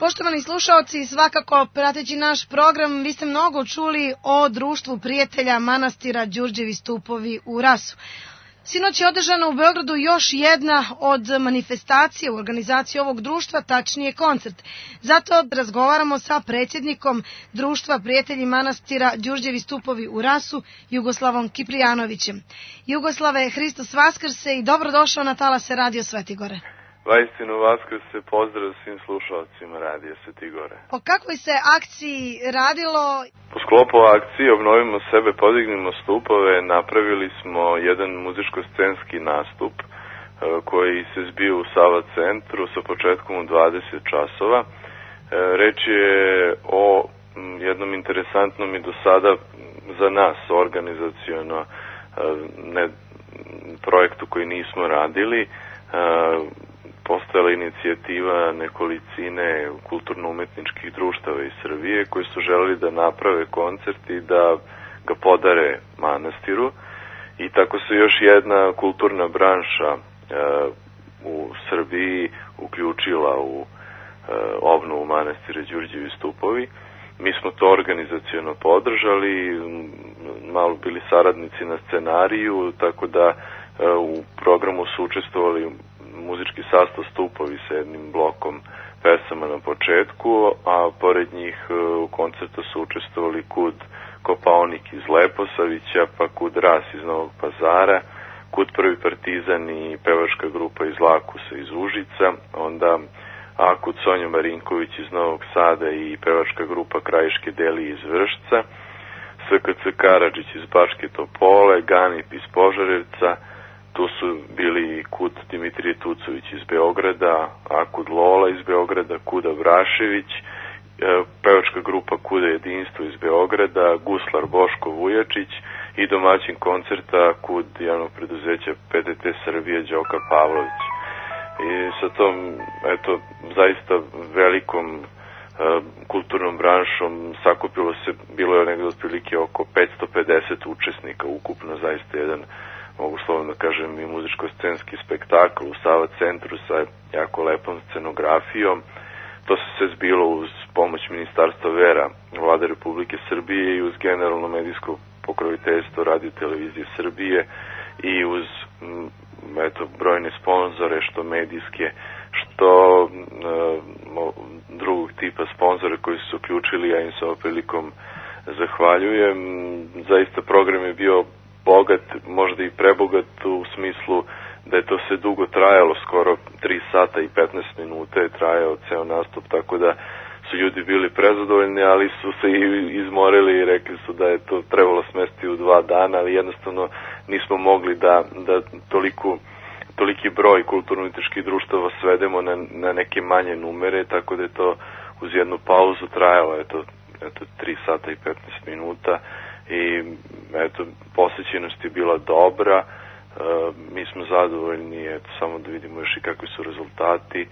Poštovani slušaoci, svakako prateći naš program, vi ste mnogo čuli o Društvu prijatelja manastira Đurđevi stupovi u Rasu. Sinoć je održana u Beogradu još jedna od manifestacija u organizaciji ovog društva, tačnije koncert. Zato razgovaramo sa predsjednikom Društva prijatelji manastira Đurđevi stupovi u Rasu, Jugoslavom Kiprijanovićem. Jugoslave, Hristos Vaskrse i dobrodošao na talase Radio Svetigore. Vaistinu Vaskrse, pozdrav svim slušalcima Radio Svetigore. O kakvoj se akciji radilo? Po sklopu akcije Obnovimo sebe, podignimo stupove, napravili smo jedan muzičko-scenski nastup koji se zbio u Sava centru sa početkom u 20 časova. Reč je o jednom interesantnom i do sada za nas organizaciono projektu koji nismo radili. Postojala inicijativa nekolicine kulturno-umetničkih društava iz Srbije koji su želeli da naprave koncert i da ga podare manastiru. I tako se još jedna kulturna branša u Srbiji uključila u obnovu manastira Đurđevi stupovi. Mi smo to organizaciono podržali, malo bili saradnici na scenariju, tako da u programu su učestvovali muzički sastav stupovi sa jednim blokom pesama na početku, a pored njih u koncertu su učestvovali Kud Kopaonik iz Leposavića, pa Kud Ras iz Novog Pazara, Kud Prvi Partizan i pevačka grupa iz Lakusa iz Užica, onda Kud Sonja Marinković iz Novog Sada i pevačka grupa Krajiške Deli iz Vršca, SKC Karadžić iz Bačke Topole, Ganip iz Požarevca, tu su bili Kud Dimitrije Tucović iz Beograda, Kud Lola iz Beograda, Kuda Vrašević, pevačka grupa Kuda Jedinstvo iz Beograda, guslar Boško Vujačić i domaćin koncerta Kud javnog preduzeća PTT Srbije Đoka Pavlović. I sa tom, eto, zaista velikom kulturnom branšom sakupilo se, bilo je negdje otprilike oko 550 učesnika, ukupno zaista jedan, mogu slovno kažem, i muzičko-scenski spektakl u Sava centru sa jako lepom scenografijom. To se sve zbilo uz pomoć Ministarstva vera Vlade Republike Srbije i uz generalno medijsko pokroviteljstvo Radio Televizije Srbije i uz brojne sponzore, što medijske, što drugog tipa sponzore koji su se uključili, ja im se ovom prilikom zahvaljujem. Zaista program je bio bogat, možda i prebogat u smislu da je to sve dugo trajalo, skoro 3 sata i 15 minuta je trajao ceo nastup, tako da su ljudi bili prezadovoljni, ali su se i izmorili i rekli su da je to trebalo smestiti u 2 dana, ali jednostavno nismo mogli da toliki broj kulturno-umetničkih društava svedemo na neke manje numere, tako da je to uz jednu pauzu trajalo eto 3 sata i 15 minuta i eto, posjećenost je bila dobra, mi smo zadovoljni, eto, samo da vidimo još i kakvi su rezultati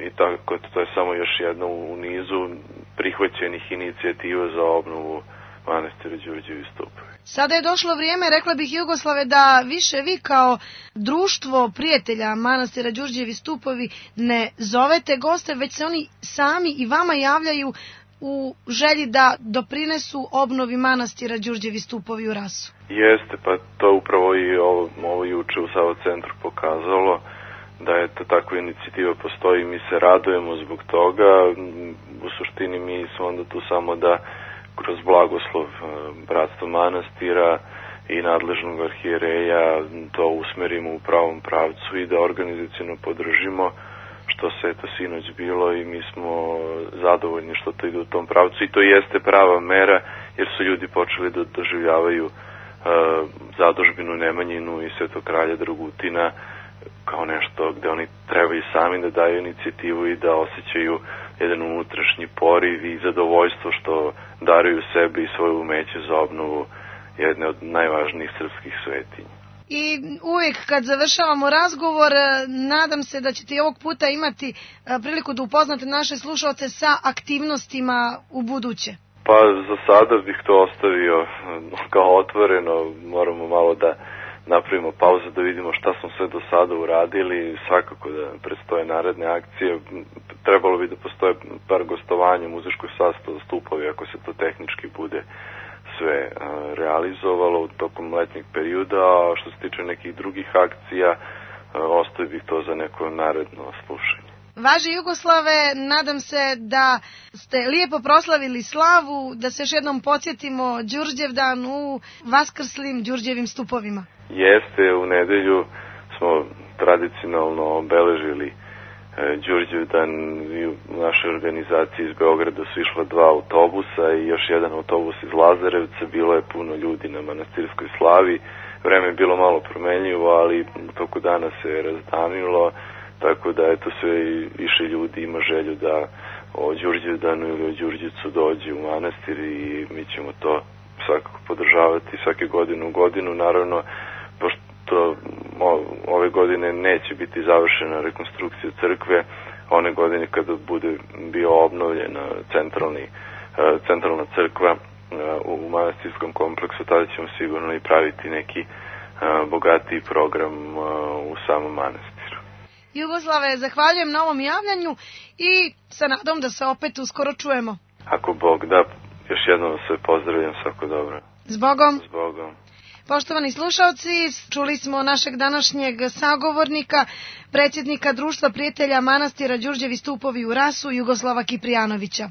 i tako, to je samo još jedna u nizu prihvaćenih inicijativa za obnovu manastira Đurđevi stupovi. Sada je došlo vrijeme, rekla bih Jugoslave, da više vi kao društvo prijatelja manastira Đurđevi stupovi ne zovete goste, već se oni sami i vama javljaju u želji da doprinesu obnovi manastira Đurđevi stupovi u Rasu. Jeste, pa to upravo i ovo juče u Sava centru pokazalo da je to takva inicijativa postoji i mi se radujemo zbog toga. U suštini mi smo onda tu samo da kroz blagoslov bratstva manastira i nadležnog arhijereja to usmerimo u pravom pravcu i da organizaciono podržimo, što se eto sinoć bilo i mi smo zadovoljni što to ide u tom pravcu i to jeste prava mera jer su ljudi počeli da doživljavaju zadužbinu Nemanjinu i Svetog kralja Dragutina kao nešto gde oni trebaju sami da daju inicijativu i da osjećaju jedan unutrašnji poriv i zadovoljstvo što daruju sebi i svoje umeće za obnovu jedne od najvažnijih srpskih svetinja. I uvijek kad završavamo razgovor, nadam se da ćete i ovog puta imati priliku da upoznate naše slušalce sa aktivnostima u buduće. Pa za sada bih to ostavio kao otvoreno, moramo malo napravimo pauzu da vidimo šta smo sve do sada uradili, svakako da predstoje naredne akcije. Trebalo bi da postoje par gostovanja u muzičkoj sastavu Stupovi ako se to tehnički bude sve realizovalo tokom letnjeg perioda, a što se tiče nekih drugih akcija, ostavio bih to za neko naredno slušanje. Važe Jugoslave, nadam se da ste lijepo proslavili slavu, da se još jednom podsjetimo Đurđevdan u vaskrslim Đurđevim stupovima. Jeste, u nedelju smo tradicionalno obeležili Đurđevdan i u našoj organizaciji iz Beograda su išla 2 autobusa i još jedan autobus iz Lazarevca. Bilo je puno ljudi na manastirskoj slavi. Vreme je bilo malo promenljivo, ali u toku dana se razdanilo, tako da eto sve više ljudi ima želju da o Đurđevdanu ili o Đurđevcu dođe u manastir i mi ćemo to svakako podržavati svake godine u godinu. Naravno, pošto ove godine neće biti završena rekonstrukcija crkve, one godine kada bude bio obnovljena centralna crkva u manastirskom kompleksu, tada ćemo sigurno i praviti neki bogatiji program u samom manastiru. Jugoslave, zahvaljujem na ovom javljanju i sa nadom da se opet uskoro čujemo. Ako Bog da, još jednom sve pozdravljam, svako dobro. Zbogom. Zbogom. Poštovani slušalci, čuli smo našeg današnjeg sagovornika, predsjednika Društva prijatelja manastira Đurđevi stupovi u Rasu, Jugoslava Kiprijanovića.